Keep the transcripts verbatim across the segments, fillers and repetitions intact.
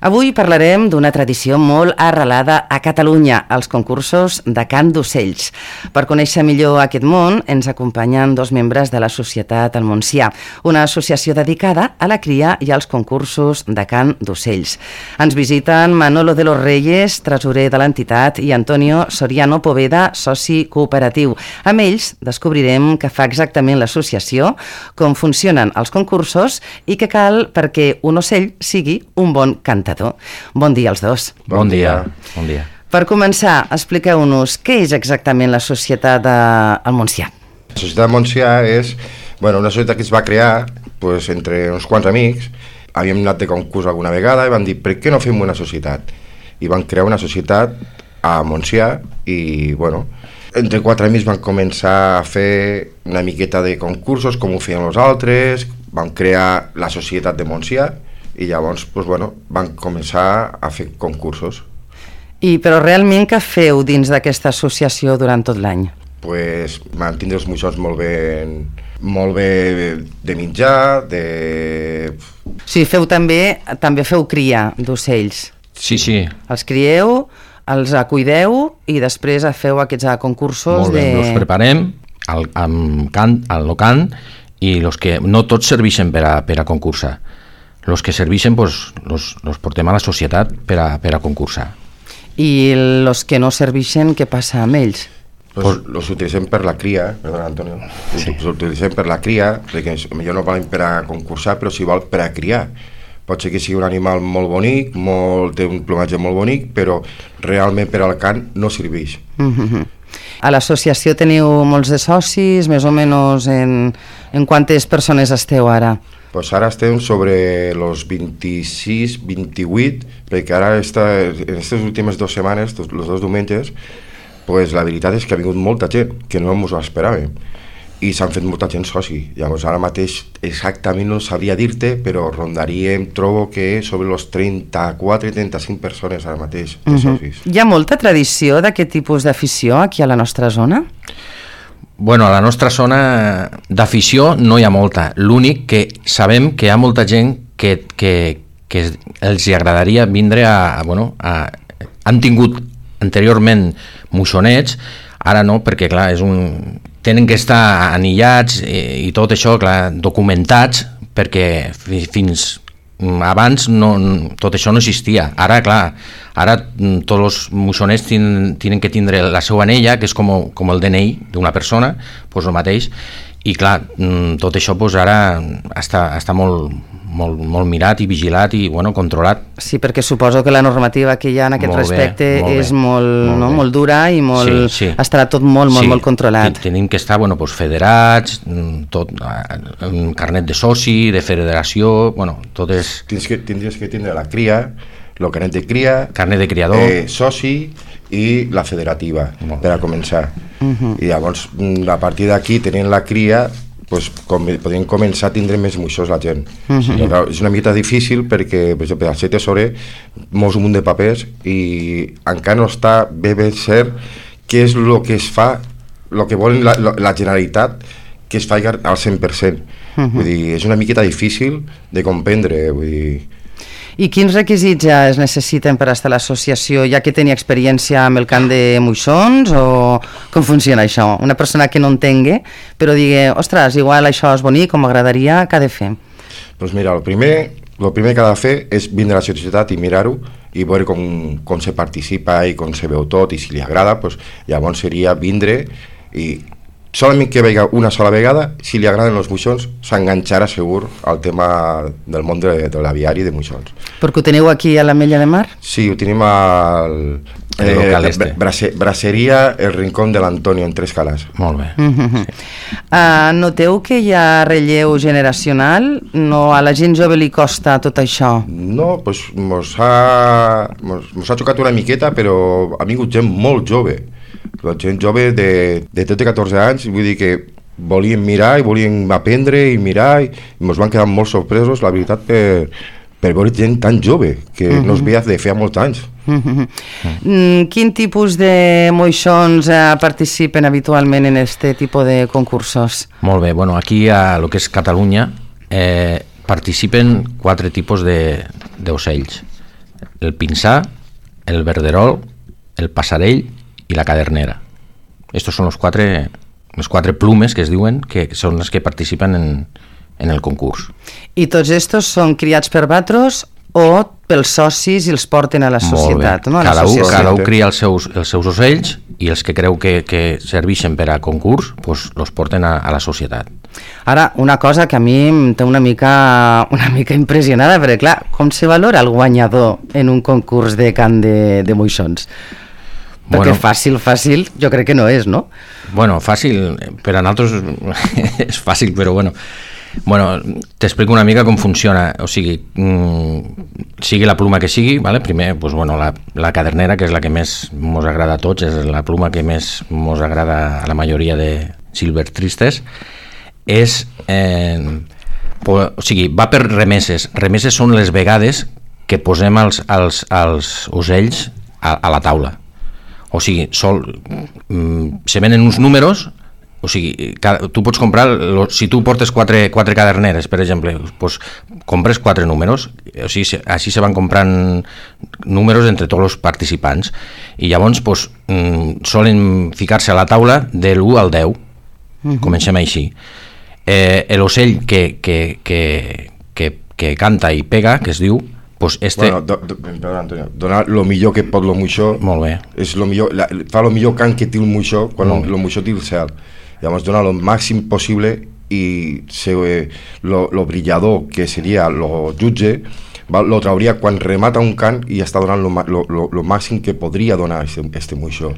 Avui parlarem d'una tradició molt arrelada a Catalunya, els concursos de cant d'ocells. Per conèixer millor aquest món, ens acompanyen dos membres de la Societat El Montsià, una associació dedicada a la cria i als concursos de cant d'ocells. Ens visiten Manolo de los Reyes, tresorer de l'entitat, i Antonio Soriano Poveda, soci cooperatiu. Amb ells descobrirem què fa exactament l'associació, com funcionen els concursos i què cal perquè un ocell sigui un bon cantador. Bon dia als dos. Bon dia. Bon dia. Per començar, expliqueu-nos què és exactament la Societat El Montsià. La Societat El Montsià és bueno, una societat que es va crear pues, entre uns quants amics. Havíem anat de concurs alguna vegada i vam dir per què no fem una societat? I van crear una societat a Montsià i bueno, entre quatre amics van començar a fer una miqueta de concursos com ho feien els altres, van crear la Societat de Montsià i llavors pues, bueno, van començar a fer concursos. I però realment què feu dins d'aquesta associació durant tot l'any? Pues mantindre els moixons molt bé, molt bé de mitjà, de... Sí, feu també, també feu cria d'ocells. Sí, sí. Els crieu, els cuideu i després feu aquests concursos molt bé, de... els preparem al, amb cant, al locant i los que no tots serveixen per a, per a concursar. Els que serveixen pues, los, los portem a la societat per a, per a concursar. I els que no serveixen, què passa amb ells? Pues, los utilitzem per la cria, perdona Antonio, sí. Els utilitzem per la cria, perquè millor no valen per a concursar, però si val per a criar. Pot ser que sigui un animal molt bonic, molt, té un plomatge molt bonic, però realment per al cant no serveix. Mm-hmm. A l'associació teniu molts de socis, més o menys en, en quantes persones esteu ara? Pues ara estem sobre los vint-i-sis vint-i-vuit, perquè ara esta, en aquestes últimes dues setmanes, els dos diumenges, pues la veritat és que ha vingut molta gent, que no ens ho esperàvem, i s'han fet molta gent soci. Llavors ara mateix exactament no sabria dir-te, però rondaríem, trobo que sobre los trenta-quatre trenta-cinc persones ara mateix de uh-huh. socis. Hi ha molta tradició d'aquest tipus d'afició aquí a la nostra zona? Bueno, a la nostra zona d'afició no hi ha molta. L'únic que sabem que hi ha molta gent que, que, que els agradaria vindre a... Bueno, a han tingut anteriorment moixonets, ara no, perquè clar, és un, tenen que estar anillats i, i tot això, clar, documentats, perquè fins abans no, tot això no existia. Ara, clar, ara tots els moixonets tenen, tenen que tindre la seva anella, que és com, com el D N I d'una persona, doncs el mateix, i clar, tot això doncs, ara està, està molt, molt, molt mirat i vigilat i bueno, controlat. Sí, perquè suposo que la normativa que hi ha en aquest molt respecte bé, molt és molt, molt, no? molt dura i molt, sí, sí. estarà tot molt, molt, sí, molt controlat. Tenim que estar bueno, doncs, federats, tot, un carnet de soci, de federació, bueno, tot és... Tens que, tindries que tindre la cria, el carnet de cria, carnet de criador, eh, soci i la federativa, molt per a començar. Uh-huh. I llavors, a partir d'aquí, tenint la cria, pues, com, podríem començar a tindre més moixons la gent. Uh-huh. Sí, clar, és una mica difícil perquè, per exemple, al ser tesorer mous un munt de papers i encara no està bé ben cert què és el que es fa, el que vol la, la Generalitat que es faci al cent per cent. Uh-huh. Vull dir, és una miqueta difícil de comprendre, vull dir... I quins requisits es necessiten per estar a l'associació? Hi ha que tenir experiència amb el cant de moixons o com funciona això? Una persona que no entengui, però digui, ostres, igual això és bonic, com m'agradaria, què ha de fer? Doncs mira, el primer, el primer que ha de fer és vindre a la societat i mirar-ho i veure com, com se participa i com se veu tot i si li agrada, doncs, llavors seria vindre i solament que vega una sola vegada, si li agraden els moixons, s'enganxarà segur al tema del món de, de l'aviari de moixons. Perquè ho teniu aquí a l'Ametlla de Mar? Sí, ho tenim al... El local eh, este. Brace, braceria El Rincón de l'Antonio, en Tres Calas. Molt bé. Uh-huh. sí. uh, noteu que hi ha relleu generacional? No, a la gent jove li costa tot això? No, doncs mos ha, mos, mos ha xocat una miqueta, però ha vingut gent molt jove. La gent jove de, de tretze a catorze anys, vull dir que volien mirar i volien aprendre i mirar i ens van quedar molt sorpresos, la veritat, per, per veure gent tan jove, que uh-huh. no es veia de feia molts anys. Uh-huh. Uh-huh. Quin tipus de moixons eh, participen habitualment en este tipus de concursos? Molt bé, bueno, aquí a lo que és Catalunya eh, participen quatre tipus d'ocells. el pinsà, el verderol, el passarell i la cadernera. Estos són los quatre, les quatre plumes que es diuen que són les que participen en, en el concurs. I tots estos són criats per batros o pels socis i els porten a la societat? No? A Cada, la un, cada un cria els seus, els seus ocells i els que creu que, que serveixen per a concurs pues, los porten a, a la societat. Ara, una cosa que a mi em té una mica, una mica impressionada, perquè clar, com se valora el guanyador en un concurs de cant de, de moixons? Perquè bueno, fàcil, fàcil, jo crec que no és, no? Bueno, fàcil, per a nosaltres és fàcil, però bueno... Bueno, t'explico una mica com funciona, o sigui, mmm, sigui la pluma que sigui, ¿vale? Primer, pues, bueno, la, la cadernera, que és la que més mos agrada a tots, és la pluma que més mos agrada a la majoria de silvestristes, és, eh, po, o sigui, va per remeses. Remeses són les vegades que posem els, els, els ocells a, a la taula. O sigui, sol, mm, se venen uns números. O sigui, tu pots comprar, si tu portes quatre, quatre caderneres, per exemple, pues, compres quatre números, o sigui, així se van comprant números entre tots els participants, i llavors pues, solen ficar-se a la taula de l'u al deu, uh-huh. Comencem així. Eh, l'ocell que, que, que, que, que canta i pega, que es diu, pues este... Bueno, do, do, perdona, Antonio, donar el millor que pot el moixó. Molt bé. És lo millor, la, fa el millor cant que té el moixó quan el moixó té el cel. Llavors donar el màxim possible i se, lo, lo brillador que seria lo jutge va, lo trauria quan remata un cant i està donant lo, lo, lo, lo màxim que podria donar este, este moixó.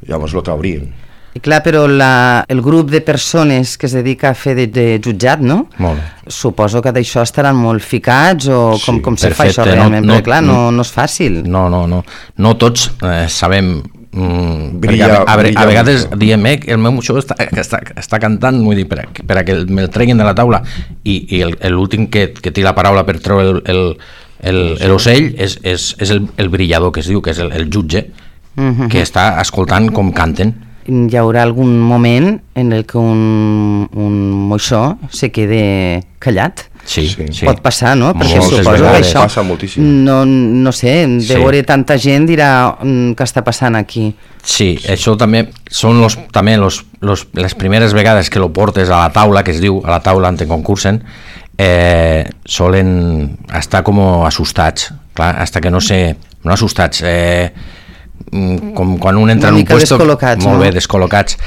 Llavors lo traurien. I clar, però la, el grup de persones que es dedica a fer de, de jutjat, no? Molt bé. Suposo que d'això estaran molt ficats o com, sí, com se fa això realment, no, no, perquè clar, no, no és fàcil. No, no, no. No tots eh, sabem... Mm, brilla, a, a, brilla a vegades mucho. Diem eh, que el meu moixó està, està, està cantant, vull dir, per a, per a que me'l treguin de la taula i, i l'últim que, que té la paraula per treure l'ocell és, és, és el, el brillador, que es diu, que és el, el jutge, uh-huh. Que està escoltant com canten. Hi haurà algun moment en el que un, un moixó se quede callat? Sí, sí, sí. Pot passar, no? Perquè Moltes suposo que això passa moltíssim. no, no sé, de sí. veure tanta gent dirà què està passant aquí. Sí, sí. Això també són los, també los, los, les primeres vegades que lo portes a la taula, que es diu, a la taula on te concursen, eh, solen estar com assustats, clar, hasta que no sé, no assustats, eh, com quan un entra en un puesto, molt no? bé, descol·locats.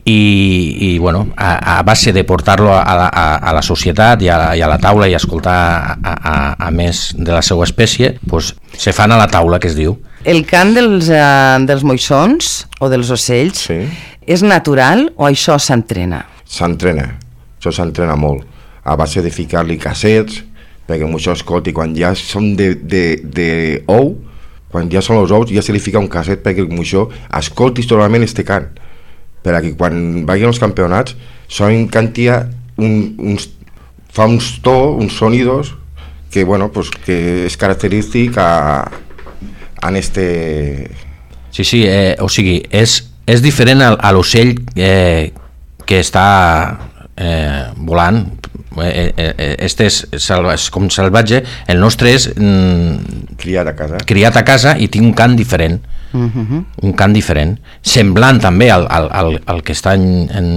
I, i bueno, a, a base de portar-lo a la, a, a la societat i a, i a la taula i escoltar a, a, a més de la seva espècie, pues, se fan a la taula, que es diu. El cant dels, uh, dels moixons o dels ocells sí. És natural o això s'entrena? S'entrena, això s'entrena molt, a base de ficar-li cassets, perquè el moixó escolti, quan ja són de, de, de ou, quan ja són els ous, ja se li fica un casset perquè el moixó escolti totalment este cant, per que quan vagin als campionats sonen cantia un, uns, fa uns to, uns sonidos que, bueno, pues, que és característic a, a este... Sí, sí, eh, o sigui, és, és diferent a, a l'ocell eh, que està eh, volant. Eh, eh, este és, salva, és com salvatge, el nostre és mm, criat a casa criat a casa i té un cant diferent. Uh-huh. Un cant diferent, semblant també al, al, al, al que està en, en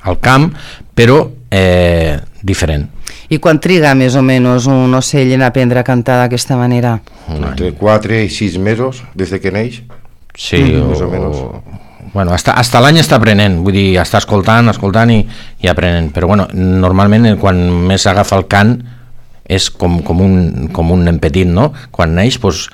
al camp, però eh, diferent. I quan triga més o menys un ocell en aprendre a cantar d'aquesta manera? Entre quatre i sis mesos des de que neix. Sí, uh-huh. o, més o menys. Bueno, hasta, hasta l'any està aprenent, vull dir, està escoltant, escoltant i, i aprenent, però bueno, normalment quan més agafa el cant és com, com, un, com un nen petit, no? Quan neix, pues,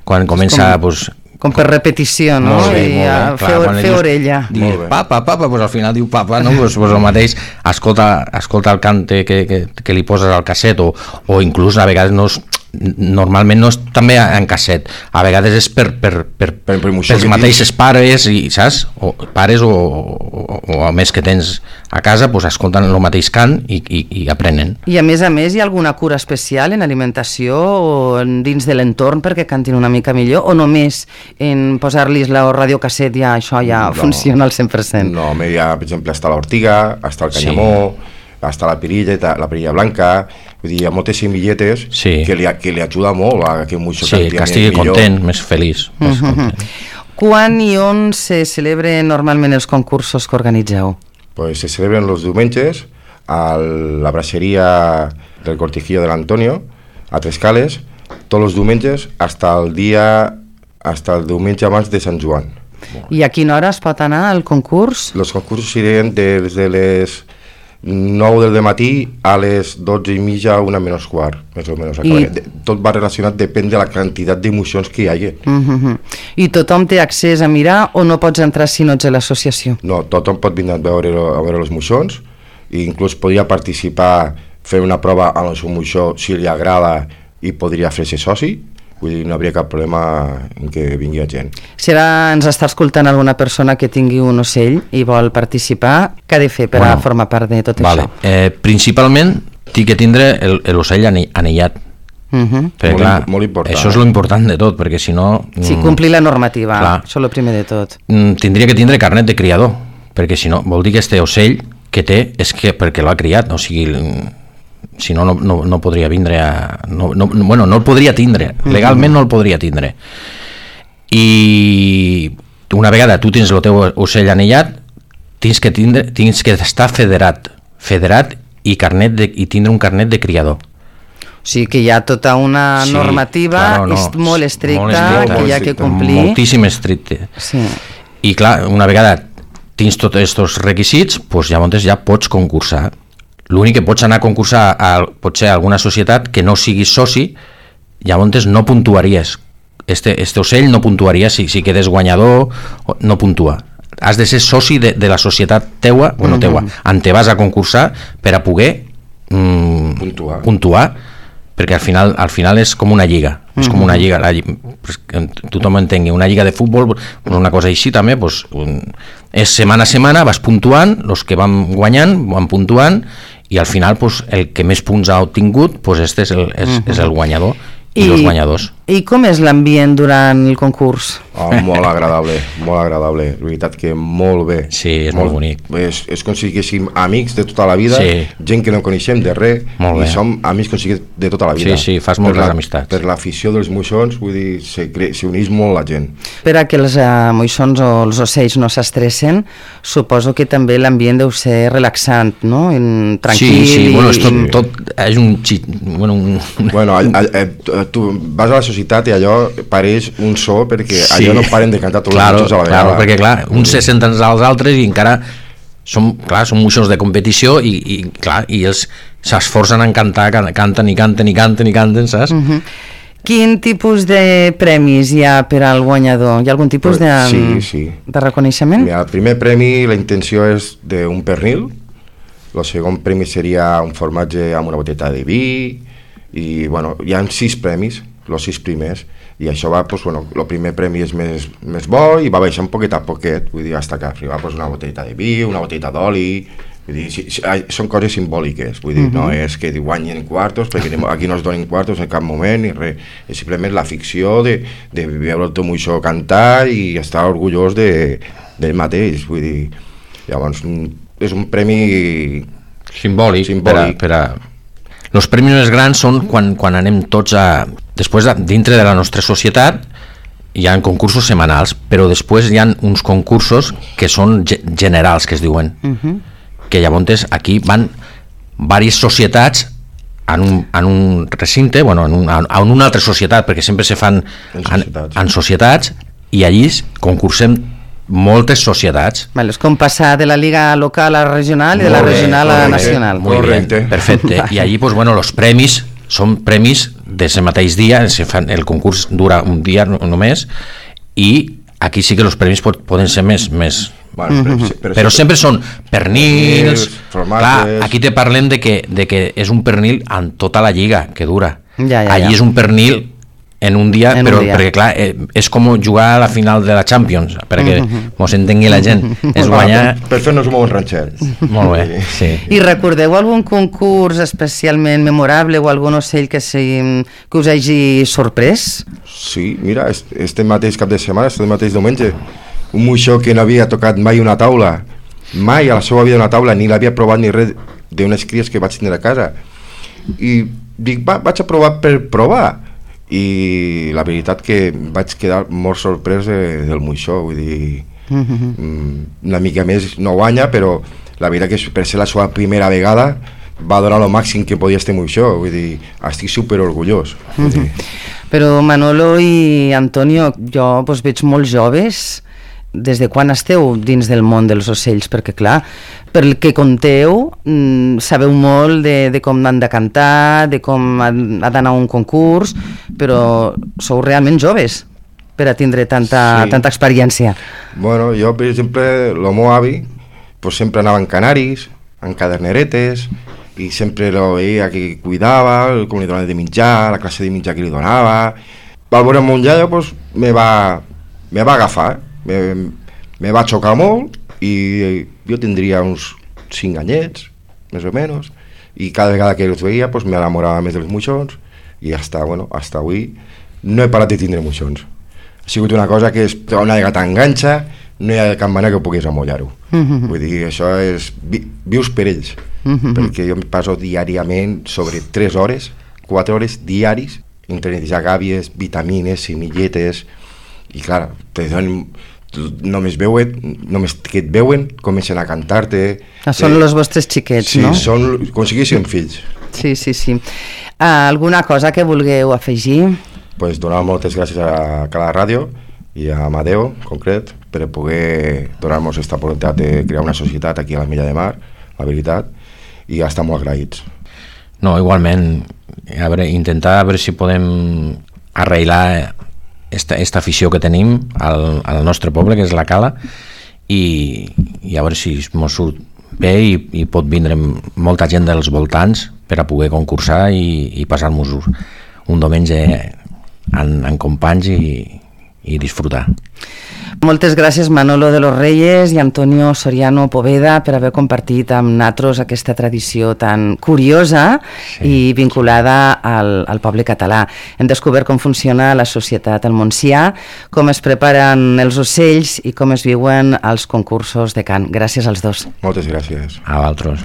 quan comença... Com, pues, com per repetició, no? Molt bé, I molt bé. a, Clar, fer, fer dius, orella. Dius, papa, papa, pues al final diu papa, no? Pues, pues el mateix, escolta, escolta el cant que, que, que li poses al casset o, o inclús a vegades no és, normalment no és també en casset, a vegades és per, per, per, per, per els mateixos pares i, saps? O pares o, o, o a més que tens a casa, pues escolten el mateix cant i, i, i aprenen. I a més a més hi ha alguna cura especial en alimentació o dins de l'entorn perquè cantin una mica millor, o només en posar-los la radiocasset ja això ja no, funciona al cent per cent? No, ja, per exemple, està l'ortiga, està el canyamó, sí. hasta la perilla, la perilla blanca, vull dir, hi ha moltes semilletes sí. que, li, que li ajuda molt a que moixó sí, que estigui millor. Content, més feliç. Més uh-huh. content. Quan i on se celebren normalment els concursos que organitzeu? Pues se celebren els diumenges a la braceria del Cortijillo de l'Antonio, a Trescales, tots els diumenges hasta el dia hasta el diumenge abans de Sant Joan. I a quina hora es pot anar al concurs? Els concursos seran des de les nou del matí a les dotze i mitja, una menys quart, més o menys. I... Tot va relacionat, depèn de la quantitat d'emocions que hi hagi. Uh-huh. I tothom té accés a mirar o no pots entrar si no ets a l'associació? No, tothom pot venir a veure, a veure els moixons, i inclús podria participar, fer una prova amb el seu moixó si li agrada i podria fer-se soci. Vull dir, no hauria cap problema en què vingui gent. Si ara ens està escoltant alguna persona que tingui un ocell i vol participar, què ha de fer per bueno, a formar part de tot vale. això? Eh, principalment, té que tindre l'ocell anellat. Uh-huh. Perquè, molt, clar, molt important. Això és lo important de tot, perquè si no... Sí, complir la normativa, clar, això és el primer de tot. Tindria que tindre carnet de criador, perquè si no, vol dir que este ocell que té és que perquè l'ha criat, o sigui... si no, no, no, no podria vindre a... No, no, bueno, no el podria tindre, legalment no el podria tindre. I una vegada tu tens el teu ocell anellat, tens que, tindre, tens que estar federat, federat i, carnet de, i tindre un carnet de criador. O sigui que hi ha tota una sí, normativa claro, no, és molt estricta, molt estricta que hi ha que complir. Moltíssim estricte. Sí. I clar, una vegada tens tots aquests requisits, doncs llavors ja pots concursar. L'únic que pots anar a concursar a, potser a alguna societat que no siguis soci, llavors no puntuaries. Este, este ocell no puntuaria, si, si quedes guanyador, no puntua. Has de ser soci de, de la societat teua, bueno, teua, en te vas a concursar per a poder mm, puntuar. puntuar, perquè al final, al final és com una lliga, és com una lliga, la, que tothom entengui, una lliga de futbol, una cosa així també, doncs, un, és setmana a setmana, vas puntuant, els que van guanyant, van puntuant, i al final pues, el que més punts ha obtingut pues, este és el, és, uh-huh. és el guanyador i, i els guanyadors. I com és l'ambient durant el concurs? Oh, molt agradable, molt agradable, la veritat que molt bé. Sí, és molt, molt bonic. És, és com si siguéssim amics de tota la vida, sí. gent que no coneixem de res, i som amics com si de tota la vida. Sí, sí, fas moltes amistats. Per l'afició dels moixons, vull dir, s'uneix molt la gent. Per a que els uh, moixons o els ocells no s'estressen, suposo que també l'ambient deu ser relaxant, no? En, tranquil. Sí, sí, i... bueno, és tot, tot és un... Bueno, un... bueno a, a, a, tu vas a la societat i allò pareix un so perquè sí. allò no paren de cantar tots claro, els moixons a la vegada. Claro, perquè clar, uns se senten als altres i encara són, clar, són moixons de competició i, i clar, i ells s'esforcen en cantar, canten i canten i canten i canten, saps? Uh-huh. Quin tipus de premis hi ha per al guanyador? Hi ha algun tipus de, sí, sí. de reconeixement? Mira, el primer premi, la intenció és d'un pernil, el segon premi seria un formatge amb una botella de vi, i bueno, hi ha sis premis, els sis primers, i això va, pues, bueno, el primer premi és més, més bo i va baixar un poquet a poquet, vull dir, hasta que arriba pues, una botella de vi, una botella d'oli, vull dir, si, si, són coses simbòliques, vull dir, uh-huh. no és que guanyen quartos, perquè aquí no es donen quartos en cap moment, ni res, és simplement la ficció de, de veure el teu moixó cantar i estar orgullós de, d'ell mateix, vull dir, llavors és un premi simbòlic, simbòlic. Per a, per a... Els premis més grans són quan, quan anem tots a... Després, de, dintre de la nostra societat, hi ha concursos setmanals, però després hi ha uns concursos que són generals, que es diuen, uh-huh. que llavors aquí van diverses societats en un, en un recinte, bueno, en, un, en una altra societat, perquè sempre se fan en societats, en, en societats i allí concursem moltes societats. Vale, és com passar de la liga local a regional i de la regional a nacional. Molt bé, perfecte. I allí, pues, bueno, els premis són premis d'aquest mateix dia, se fan, el concurs dura un dia només, i aquí sí que els premis pot, poden ser més... més bueno, però, però, però, però sempre són pernils, clar, aquí te parlem de que, de que és un pernil en tota la lliga que dura. Ja, ja, allí ja. és un pernil en un dia, en però un dia. Perquè clar, eh, és com jugar a la final de la Champions, perquè uh-huh. mos entengui la gent, és guanyar... Per, per fer-nos un bon ranxet. Molt bé, sí. I recordeu algun concurs especialment memorable o algun ocell que, si, que us hagi sorprès? Sí, mira, este mateix cap de setmana, este mateix diumenge, un moixó que no havia tocat mai una taula, mai a la seva vida una taula, ni l'havia provat ni res, d'unes cries que vaig tenir a casa. I dic, va, vaig a provar per provar. I la veritat que vaig quedar molt sorprès de, del moixó, vull dir, mm-hmm. una mica més no guanya, però la veritat que per ser la seva primera vegada va donar el màxim que podia este moixó, vull dir, estic super orgullós. Mm-hmm. Però Manolo i Antonio, jo pues, veig molt joves. Des de quan esteu dins del món dels ocells? Perquè clar, pel que conteu, mmm, sabeu molt de, de com han de cantar, de com ha, ha d'anar a un concurs, però sou realment joves per a tindre tanta, sí. tanta experiència. Bueno, jo, per exemple, el meu avi pues, sempre anava en canaris, en caderneretes, i sempre lo veia que cuidava, com li donava de mitjà, la classe de mitjà que li donava. Al veure mon iaio, pues, me va, me va agafar, me, me va xocar molt, i jo tindria uns cinc anyets, més o menys, i cada vegada que els veia, pues, m'enamorava més dels moixons, i hasta, bueno, hasta avui no he parat de tindre moixons. Ha sigut una cosa que és, una vegada t'enganxa, no hi ha cap manera que puguis amollar-ho. Mm-hmm. Vull dir, això és... Vi, vius per ells. Mm-hmm. Perquè jo em passo diàriament sobre tres hores, quatre hores diaris, entre netejar gàbies, vitamines, semilletes, i clar, te donen, només veuen, només que et veuen, comencen a cantar-te. Ah, són els vostres xiquets, sí, no? Sí, són com si fossin fills. Sí, sí, sí. Uh, alguna cosa que vulgueu afegir? Pues donar moltes gràcies a Cala Ràdio i a Amadeo, en concret, per poder donar-nos aquesta oportunitat de crear una societat aquí a la Milla de Mar, la veritat, i estar molt agraïts. No, igualment, a veure, intentar a veure si podem arreglar esta, esta afició que tenim al, al nostre poble, que és la Cala, i, i a veure si mos surt bé i, i pot vindre molta gent dels voltants per a poder concursar i, i passar-nos un diumenge en, en companys i, i disfrutar. Moltes gràcies Manolo de los Reyes i Antonio Soriano Poveda per haver compartit amb nosaltres aquesta tradició tan curiosa sí. i vinculada al, al poble català. Hem descobert com funciona la societat al Montsià, com es preparen els ocells i com es viuen els concursos de cant. Gràcies als dos. Moltes gràcies. A vosaltres.